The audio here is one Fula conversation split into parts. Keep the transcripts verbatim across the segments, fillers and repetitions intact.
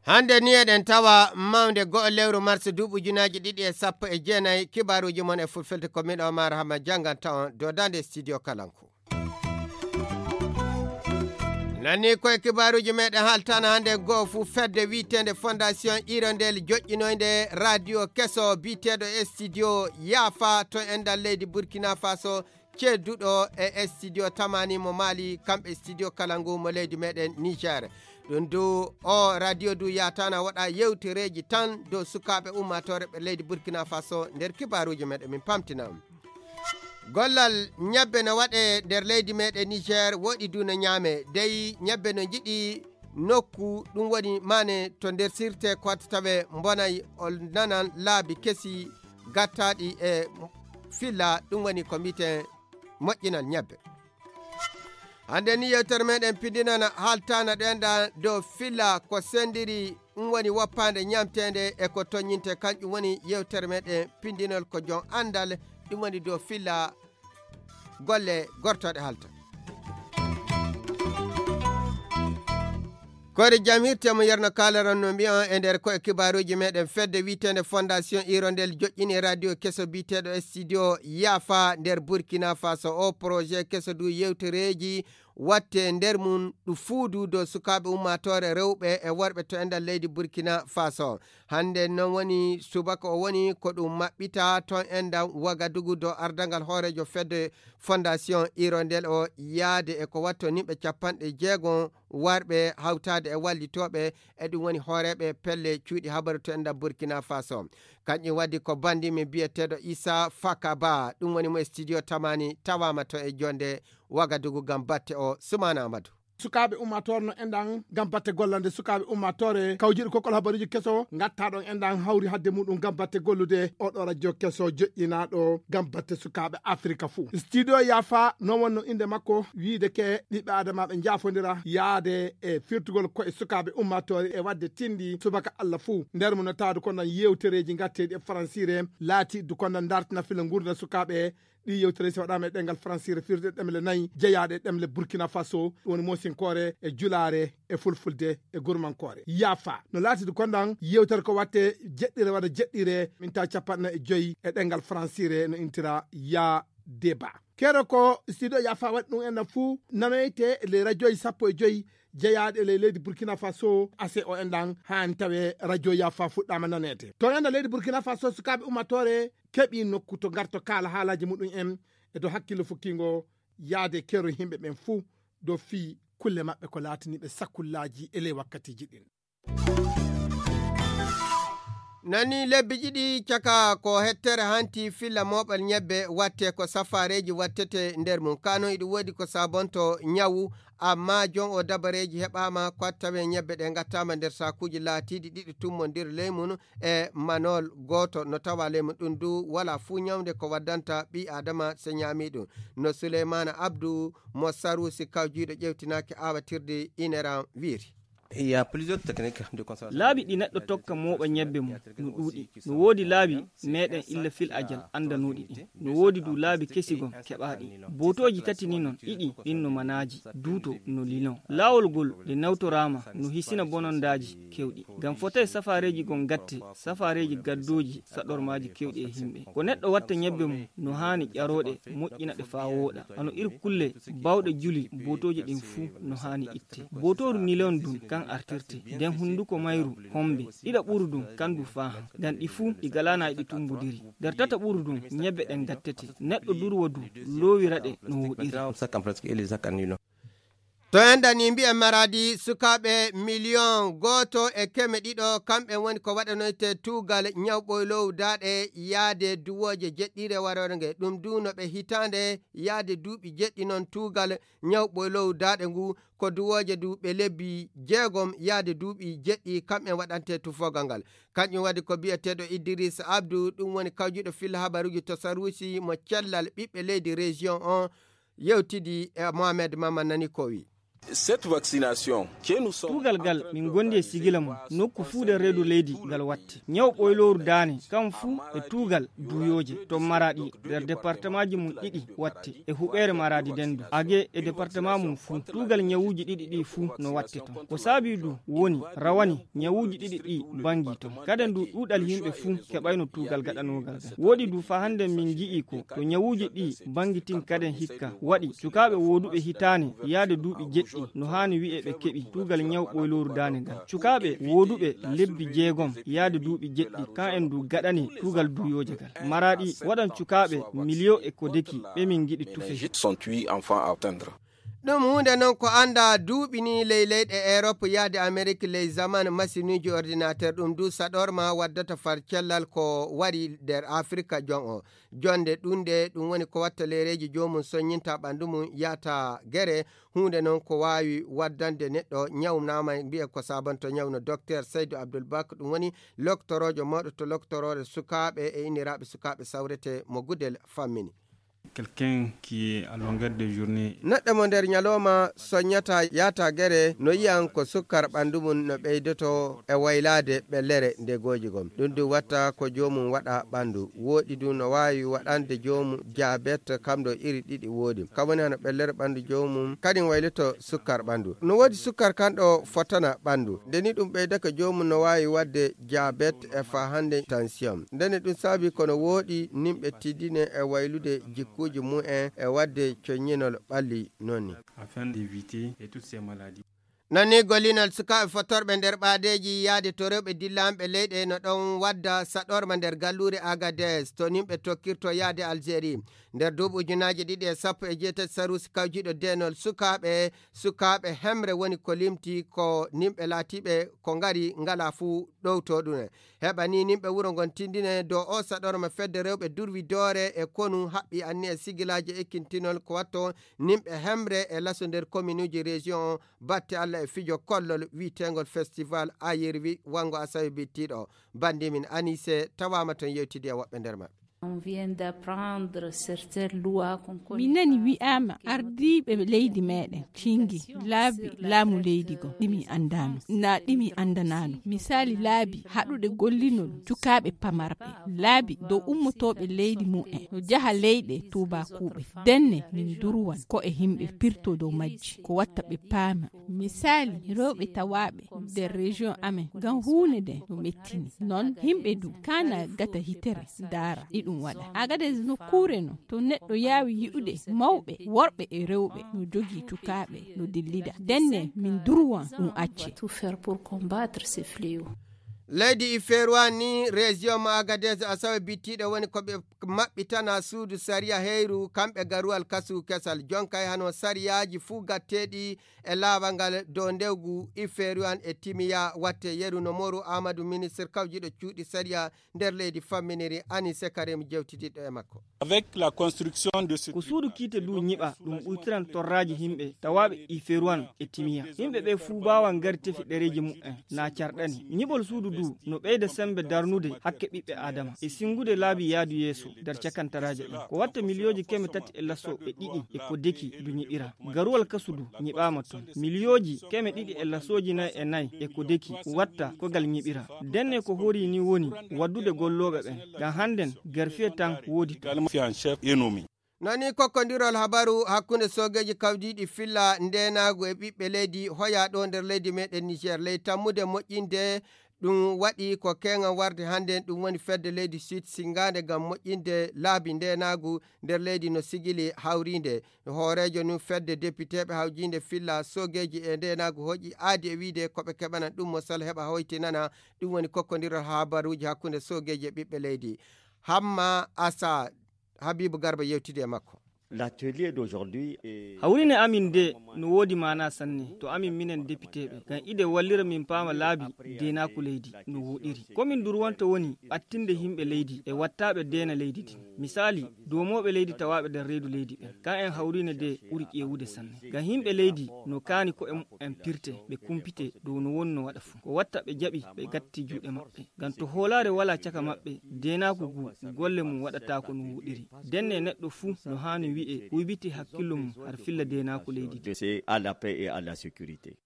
Hannde ni eɗen tawa mawnde go'o lewru mars duuɓi ujunaaji ɗiɗi e sappo e jeenayi. Kibaaruuji mon e fulfulde ko miɗo Omar Hama jannganta on dodande studio Kalangu. Nani koye kibaaruuji meɗen haaltana hannde go'o fuu fedde wi'eteende Fondation Hirondelle joƴƴinoynde radio keso bi'eteeɗo e studio Yaafa to enɗan leydi Burkina Faso, cedduɗo e studio Tamani mo Mali, kamɓe studio Kalangu mo leydi meɗen Niger. Ɗum du o radio du yatana waɗa yewtereeji tan dow sukaaɓe ummaatoore ɓe leydi Burkina Faso nder kibaaruuji meɗen min pamtina. Gollal ñebbe no waɗe nder leydi meɗen Niger, woɗi du no ñaame. Dey ñebbe no njiɗi nokku, ɗum woni maane to nder sirte ko watta tawe mbonay o nanan laabi kesi gattaaɗi e filla, ɗum woni ko mbiten moƴƴinal ñebbe. Hannde ni yewtere meɗen pindinana haaltana ɗo enɗan dow filla ko sendiri, ɗum woni woppaande ñamteende e ko toññinte, kanƴum woni yewtere meɗen pindinol ko joom anndal, ɗum woni dow filla golle gortooɗe haalta. Koyre jam hirte mo yerno kaalaran no mbiyan e nder koye kibaaruuji meɗen fedde wi'eteende Fondation Hirondelle joƴƴini radio keso bi'eteeɗo studio Yaafa nder Burkina Faso. O projet keso du yewtereeji watte nder mum ɗu fuudu dow sukaaɓe ummaatoore rewɓe e worɓe to enɗan leydi Burkina Faso. Hannde non woni subaka o woni ko ɗum maɓɓita ton enɗan Wagadugu dow ardangal hooreejo fedde Fondation Hirondelle o yaade e ko watto nimɓe capanɗe jeegom warɓe hawtaade e wallitooɓe e ɗum woni hooreeɓe pelle cuuɗi habaru to enɗan Burkina Faso. Kanƴum waddi ko bandi min bi'eteeɗo Isa Fakaba, ɗum woni mo e studio Tamani tawaama to e jonde Wagadugu ngam batte o Sumana Amadou. Sukaaɓe ummaatoore no enɗan ngam batte gollande sukaaɓe ummaatoore kawjiɗo kokkol habaruuji keso ngatta ɗon enɗan hawri hadde muɗum ngam batte gollude oɗo radio keso joƴƴinaaɗo ngam batte sukaaɓe Afrika fuu. Studio Yaafa non wonno innde makko wiide ke ɓiɓɓe Adama ɓe njaafondira yaade e firtugol koye sukaaɓe ummaatoore e waɗde tindi subaka Allah fuu. Nder mum no taadu ko nan yewtereeji ngatteeɗi e faransiire laatiiɗi ko nan dartina fila ngurdam sukaaɓe. Ɗi yewtere si waɗaama e ɗemngal faransiire firde ɗemle nayi jeyaaɗe e ɗemle Burkina Faso, ɗum woni moosinkoore e julaare e fulfulde e gurmankoore. Yaafa no laatidi kondan yewtere ko watte jeɗɗire walla jeɗɗire minta capanɗe nayi e joyi e ɗemngal faransiire no intira ya deba. Keɗo ko studio Yaafa waɗi ɗum enɗan fuu nanoyte e ley radioji sappo e joyi jeyaaɗe ley leydi Burkina Faso. Ase o enɗan haani tawe radio Yaafa fuɗɗaama naneede to enɗan leydi Burkina Faso. Sukaaɓe ummatore keɓi nokku to ngarto kaala haalaaji muɗum en e dow hakkillo fukkingo yaade keero yimɓe ɓen fuu dow fii kulle maɓɓe ko laataniiɓe sakullaaji e ley wakkatiiji ɗin. Nani lebbi ɗiɗi caka ko hettere hanti filla mooɓal ñebbe watte ko safaareeji wattete nder mum. Kano iɗi woodi ko sabonto ñawu, amma jon o dabareeji heɓaama ko tawe ñebbe ɗe ngattaama nder saakuuji laatiiɗi ɗiɗi tummondir ley mum e manol gooto no tawa ley mum. Ɗum du wala fuu ñawnde ko waddanta ɓii Aadama so ñaami ɗum. No Suleymaana Abdu mo Saruusi kawjiiɗo ƴewtinaaki aawatirde Ineran wiiri. Il y a plusieurs techniques de conservation. Laabi ɗi neɗɗo tokka mooɓa ñebbe mum no ɗuuɗi. No woodi laabi meɗen illa fil ajal anndanooɗi ɗin. No woodi du laabi kesi gon keɓaaɗi. Bootooji tati ni non, ɗiɗi ɗin no manaaji, duuto no lilon. Laawol gol ɗe nawtoraama no hisina bonondaaji kewɗi. Ngam fotay safaareeji gon gatte, safaareeji gaddooji saɗormaaji kewɗi e yimɓe. Ko neɗɗo watta ñebbe mum no haani ƴarooɗe, moƴƴina ɗe faa wooɗa. Hano ir kulle bawɗe juli bootooji ɗin fuu no haani itte. Bootooru nilon dun kan artirte. Nden hunduko mayru hombe. Ɗiɗa ɓuru dun kan du faahan. Ngam ɗi fuu ɗi galaana e ɗi tumbudiri. Nder tata ɓuru dun ñebbe ɗen gattete. Neɗɗo durwo du loowira ɗe no woɗiri. To enɗan ni mbi'en Maradi sukaaɓe miliyon gooto e keme ɗiɗo kamɓe woni ko waɗanoyte tuugal ñawɓoylow daaɗe yaade duwooje jeɗɗire warorge. Ɗum du no ɓe hitaande yaade duuɓi jeɗɗi non tuugal ñawɓoylow daaɗe ngu ko duwooje du ɓe lebbi jeegom yaade duuɓi jeɗɗi kamɓe waɗante tufogal ngal. Kanƴum waɗi ko bi'eteeɗo Idriss Abdou, ɗum woni kawjuɗo filla habaruuji to Saruusi mo cellal ɓiɓɓe leydi région on yewtidi e Mohamed Mama nani ko wi. Cette vaccination, que nous sommes tuugal gal, min gondi e sigila mum nokku fuu nder reedu leydi ngal watte. Ñaw ɓoylooru daane kam fuu e tuugal duuyooje to Maraɗi nder departemaaji mum ɗiɗi watte e huɓeere Maraɗi dendu age e departement mum fuu. Tuugal ñawuuji ɗiɗi ɗi fuu no watte ton. Ko saabi du woni rawani ñawuuji ɗiɗi ɗi bangi ton. Kaden du ɗuuɗal yimɓe fuu keɓayno tuugal gaɗanoogal gal. Woɗi du fa hannde min ngi'i ko to ñawuuji ɗi bangi tin kaden hikka waɗi sukaaɓe wooduɓe hitaane yaade duuɓi jeɗɗi no haani wi'e ɓe keɓi tuugal ñaw ɓoylooru daane gal. Sukaaɓe wooduɓe lebbi jeegom yaade duuɓi jeɗɗi kan en du gaɗani tuugal duuyooje gal. Maraɗi waɗan sukaaɓe miliyo e ko deki ɓe min ngiɗi tufe. Sont huit enfants à atteindre. Ɗum huunde noon ko annda duuɓi ni ley leyɗe Erop yaade Amerik ley zaman masinuuji ordinateur ɗum du saɗorma waddata far cellal ko wari nder Afirka jon o. Jonde ɗunde ɗum woni ko watta leereeji joomum soññinta ɓanndu mum yahta gere. Huunde noon ko waawi waddande neɗɗo ñaw naama mbiye ko sabanto ñaw no Docteur Seydou Abdoul Bak ɗum woni loktoroojo mawɗo to loktoroore sukaaɓe e inniraaɓe sukaaɓe sawrete mo Gudel fammini. Quelqu'un qui est à longueur de journée. Neɗɗo mo nder ñalooma soññata yaata gere no yiyan ko sukkar ɓanndu mum no ɓeydoto e waylaade ɓellere nde gooji gom. Ɗum du watta ko joomum waɗa ɓanndu. Wooɗi du no waawi waɗande joomum jaabet kam ɗo iri ɗiɗi wooɗi. Kam woni hano ɓellere ɓanndu joomum kadin wayloto sukkar ɓanndu. No woodi sukkar kan ɗo fotana ɓanndu. Nde ni ɗum ɓeydaka joomum no waawi waɗde jaabet e fa hannde tension. Ndene ɗum saabi kono wooɗi nimɓe tiddine e waylude jikkuuji mum en e waɗde coññinol ɓalli noon ni. Afin d'éviter et toutes ces maladies. Noon ni gollinol sukaaɓe fottorɓe nder ɓaadeeji yahde to rewɓe dillanɓe leyɗe no ɗon wadda saɗorma nder galluure Agadez to nimɓe tokkirto yahde Algérie. Nder duuɓi ujunaaji ɗiɗi e sappo e jeetati saruusi kawjiiɗo deenol sukaaɓe, sukaaɓe hemre woni ko limti ko nimɓe laatiiɓe ko ngari ngala fuu ɗowto ɗum en. Heɓa ni nimɓe wuro ngon tindine dow o saɗorma fedde rewɓe durwi doore e konu haɓɓi anniya sigilaaji ekkintinol ko watto nimɓe hemre e laso nder kominuuji région o batte Alla e fijo kollol wi'eteengol festival ayirwi wango asawe bittiiɗo. Banndimin Anise tawaama ton yewtidi e woɓɓe nder maɓɓe. On vient d'apprendre certaines lois qu'on connaît. Mi nani wi'aama ardiiɓe leydi meɗen cingi laabi laamu leydi go ɗimi anndano na ɗimi anndanaano. Misaali laabi haɗuɗe gollinol cukaaɓe pamarɓe, laabi dow ummotooɓe leydi mumen no jaha leyɗe tuubakuuɓe. Denne min durwan ko e yimɓe pirto dow majji ko watta ɓe paama. Misaali rewɓe tawaaɓe nder région amen ngam huunde nden no mettini. Noon yimɓe du kaana gata hitere ndaara ɗi ɗum waɗa. Agades nokkuure no to neɗɗo yaawi yi'ude mawɓe worɓe e rewɓe no jogii cukaaɓe no dillida. Denne min durwan ɗum acce. Tout faire pour combattre ces fléaux. Leydi Iferuwan ni région mo Agadez asawe bittiiɗo woni ko ɓe maɓɓitana suudu sariya heyru kamɓe garuwal kasu kesal jonkay hano sariyaaji fuu gatteeɗi e laawal ngal dow ndewgu Iferuwan e Timiya watte yeru no Moru Amadou ministre kawjiiɗo cuuɗi sariya nder leydi famminiri Anise Karim jewtidiɗɗo e makko. Avec la construction de ce ko suudu kiite du ñiɓa ɗum ɓuytiran torraaji yimɓe tawaaɓe Iferuwan e Timiya. Yimɓe ɓe fuu mbaawan ngari tefi ɗereeji mumen na carɗani. Ñiɓol suudu du no ɓeyda semmbe darnude hakke ɓiɓɓe Aadama e sinngude laabi yaadu yeeso nder cakantaraaje ɗen. Ko watta miliyooji keme tati e laso e ɗiɗi e ko deki du ñiɓira. Garuwal kasu du ñiɓaama ton. Miliyooji keme ɗiɗi e lasooji nayi e nayi e ko deki watta kogal ñiɓira. Denne ko horii ni woni waddude gollooɓe ɓen. Ngam hannden garfiye tan woodi ton. Également fait en chef et nommé. Nani kokkondirol habaru hakkunde soogeeji kawdiiɗi filla ndeenaagu e ɓiɓɓe leydi hoyaa ɗo nder leydi meɗen Niger ley tammude moƴƴinde. Ɗum waɗi ko keeŋan warde hannde ɗum woni fedde leydi Sud sinngaande ngam moƴƴinde laabi ndeenaagu nder leydi no sigili hawriinde. Hooreejo nun fedde depiteeɓe hawjiinde filla soogeeji e ndeenaagu hoƴi aadi e wiide ko ɓe keɓanan ɗum mo sal heɓa hoytinana. Ɗum woni kokkondirol habaruuji hakkunde soogeeji e ɓiɓɓe leydi. Hamma Asa Habibu Garba yewtidi e makko. L'atelier d'aujourd'hui est hawrine amin nde no woodi maana sanne to amin minen depiteeɓe ngam ide wallira min paama laabi deenaaku leydi no woɗiri. Ko min durwanta woni ɓattinde yimɓe leydi e wattaaɓe deena leydi din. Misaali doomooɓe leydi tawaaɓe nder reedu leydi ɓen. Ka en hawrine nde ɓuri ƴeewude sanne ngam yimɓe leydi no kaani ko en en pirte ɓe kumpite dow no wonno waɗa fuu. Ko watta ɓe jaɓi ɓe gatti juuɗe maɓɓe. Ngam to hoolaare walaa caka maɓɓe, deenaaku ngu golle mum waɗataako no woɗiri. Denne neɗɗo fuu no haani Wi'e wibiti hakkillo mum har filla deenaaku leydi ndi. C'est à la paix et à la sécurité.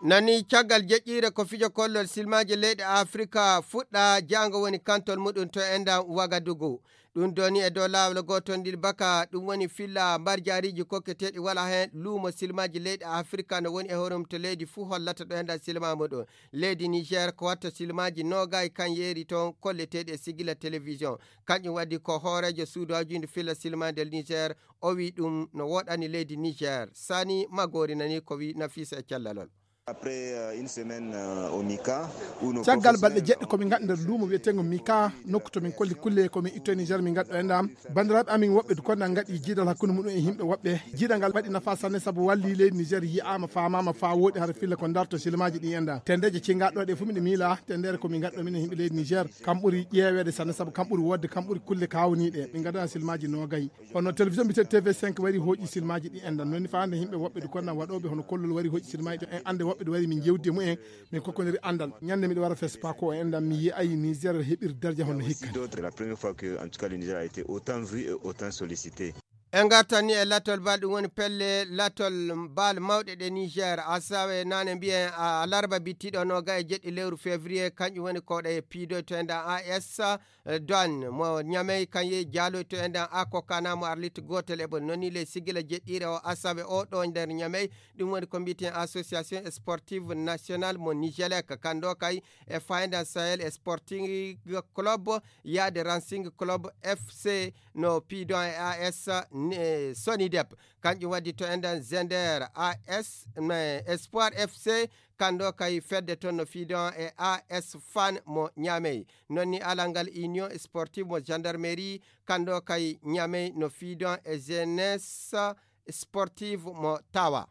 Nani caggal jeƴƴiire ko fijo kollol silmaaji leyɗe Afrika fuɗɗa jaango woni kantol muɗum to enɗam Wagadugu. Ɗum doni e dow laawol gootol ndil baka ɗum woni filla mbarjaariiji kokketeeɗi wala heen luumo silmaaji leyɗe Afrika no woni e horum to leydi fuu hollata ɗo enɗam silma muɗum. Leydi Niger ko watta silmaaji noogay kan yeeri toon kolleteeɗi e sigila télévision. Kanƴum waɗi ko hooreejo suudu hawjundi filla silma nder Niger o wi ɗum no woɗani leydi Niger. Sani Magori nani ko wi Nafisa e callalol. Après, euh, une semaine, euh, au Mika, où nos caggal balɗe professeurs jeɗɗi komin ngaɗi nder luumo wiyeteengo Mika, nokku to min kolli kulle komin itto e Niger min ngaɗɗo e ndam. Banndiraaɓe amin woɓɓe du konna ngaɗi jiidal hakkunde muɗum e yimɓe woɓɓe. Jiidal ngal waɗi nafa sanne sabu walli leydi Niger yi'aama faamaama faa wooɗi hara filla ko darto silmaaji ɗi e ndam. Tendeeje cingaɗo ɗe fof miɗo miila tendere komin ngaɗɗo min e yimɓe leydi Niger kam ɓuri ƴeeweede sanne sabu kam ɓuri woodde kam ɓuri kulle kawniiɗe. Min ngaɗa silmaaji noogay. Hono télévision mbiyetee T V cinq wari hooƴi silmaaji ɗi enɗam. Noon ni faande yimɓe woɓɓe du konna waɗooɓe hono kollol wari hooƴi silmaaji ɗo en annde woɓɓe du wari min jewdi e mumen. Min kokkondirii anndal. Ñannde miɗo wara FESPACO o enɗam mi yi'ay Niger heɓir darja hono hikka. D'autres, la première fois que, en tout cas, le Niger a été autant vu et autant sollicité. En ngartan ni e latol bal ɗum woni pelle latol bal mawɗe ɗe Niger. Asawe nane mbiyen a larba bittiɗo noga e jeɗɗi lewru février kanƴum woni koɗo e piidoy to enɗam A S Douane mo Niamey kan yehi jaaloyto e nder Akokana mo Arlit gootel e ɓe noni ley sigila jeɗɗiire o asawe o ɗo nder Niamey. Ɗum woni ko mbiiten Association Sportive Nationale mo Nigelec, kan ɗo kay e Fayda Sahel Sporting Club yaade Racing Club F C no piidon e A S ne- Sonidep. Kanƴum waddi to enden Zender A S ne Espoir F C, kan ɗo kay fedde toon no fiidon e A S Fan mo Niamey. Non ni alal ngal Union Sportive mo Gendarmerie, kan ɗo kay Niamey no fiidon e Jeunesse Sportive mo Tawa.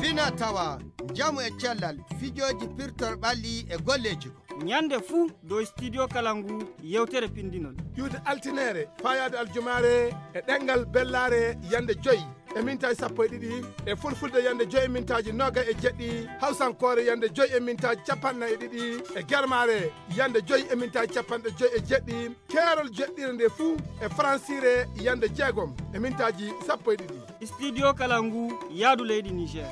Fina tawa, njamu e cellal, fijooji pirtor ɓalli e golleeji ko. Ñande fuu dow studio kala ngu yewtere pindinol. Iwde altineere, faayaade aljumaare, e ɗemngal bellaare yande joy e mintaaji sappo e ɗiɗi, e fulfulde yande joy e mintaaji nooga e jeɗɗi, hawsankoore yande joy e mintaaji capanɗe e ɗiɗi, e germaare yande joy e mintaaji capanɗe joy e jeɗɗi, keerol jeɗɗire nde fuu e faransiire yande jeegom e mintaaji sappo e ɗiɗi. Studio kala ngu yaadu leydi Niger.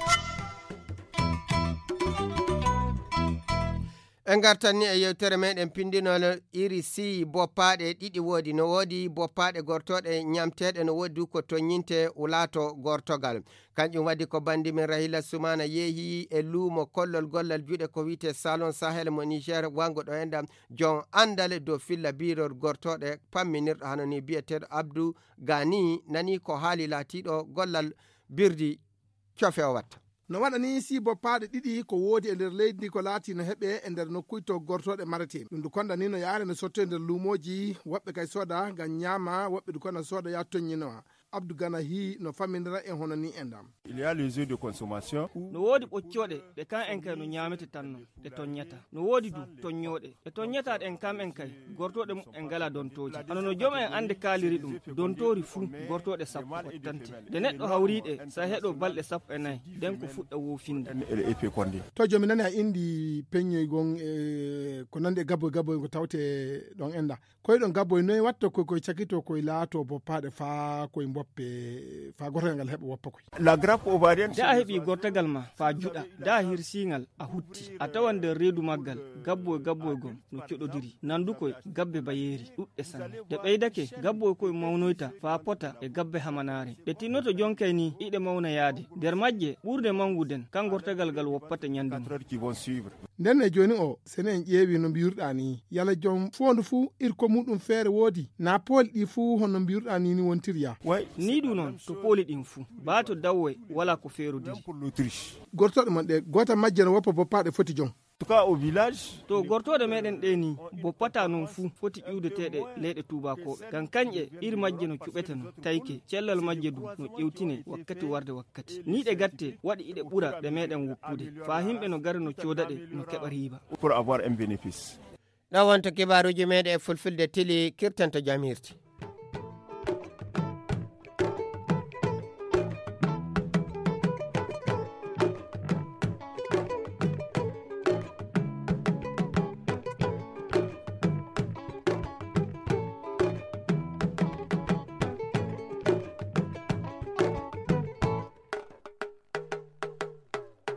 En ngartan ni e yewtere meɗen pindinol iri si boppaaɗe ɗiɗi woodi. No woodi boppaaɗe gortooɗe ñamteeɗe, no woodi du ko toññinte wulaato gortogal. Kanƴum waɗi ko bandi men Rahila Sumana yeehi e luumo kollol gollal juuɗe ko wiyte Salon Sahel mo Niger wango ɗo enɗam jon andale dow filla birol gortooɗe pamminirɗo hano ni biyeteeɗo Abdou Gani nani ko haali laatiiɗo gollal birdi cofe o watta. No waɗa ni si boppaaɗe ɗiɗi ko woodi e nder leydi ndi ko laati no heɓe e nder nokkuuji to gortooɗe mareteeɗe. Ɗum du konda ni no yaare no sotto e nder luumooji, woɓɓe kay sooda ngam ñaama, woɓɓe du konda sooda ya toññinowa. Abdou Gana hi no faminira e hono ni e ndam. Il y a les œufs de consommation. No woodi ɓoccooɗe ɗe kan en kay no ñaamete tan non, ɗe toññata. No woodi du toññooɗe. Ɗe toññata ɗen kam en kay, gortooɗe mum en ngala dontooji. Hano no joom en annde kaaliri ɗum, dontoori fuu, gortooɗe sappo wattante. Nde neɗɗo hawri ɗe, sa heɗo balɗe sappo e nayi, ɗen ko fuɗɗa woofinde. To jomi nani a indi peññoy gon e ko nandi e gabboy gabboy ko tawte ɗon enda. Koy ɗon gabboy noy watto koy koy cakito koy laato boppaaɗe faa koy mboppe faa gotogal ngal heɓa woppa koy. La grappe ovarienne. Da a heɓi gortagal ma faa juɗa, da a hirsingal a hutti, a tawan nder reedu maggal gabboy gabboy gom no coɗodiri, nandukoy gabbe bayeeri ɗuɗɗe sanne. Ɗe ɓeydake, gabboy koy mawnoyta faa pota e gabbe hamanaare. Ɗe tinnoto jonkay ni iɗe mawna yaade. Nder majje ɓurde mawgu den, kan gortagal ngal woppata ñande mum. Quatre heures qui vont suivre. Nden e jooni o, sene en ƴeewi no mbiruɗaa ni, yala jom foondu fuu irko muɗum feere woodi, naa pooli ɗi fuu hono mbiruɗaa ni ni wontiri ya? Ni du non to pooli ɗin fuu, baa to dawwe wala ko feerodiri. Gortooɗe mon ɗe, goota majje no woppa boppaaɗe foti jom. To gortooɗe meɗen ɗe ni, boppata non fuu foti ƴuwdeteeɗe leyɗe tuubakooɓe. Ngam kanƴe iri majje no cuɓete non, tayke, cellal majje du no ƴewtine wakkati warde wakkati. Ni ɗe gatte waɗi iɗe ɓura ɗe meɗen woppude. Faa himɓe no gara no cooda ɗe no keɓa riiba. Pour avoir un bénéfice. Ɗo wonto kibaaruuji meɗen e fulfulde tili kirtanto jam hirti.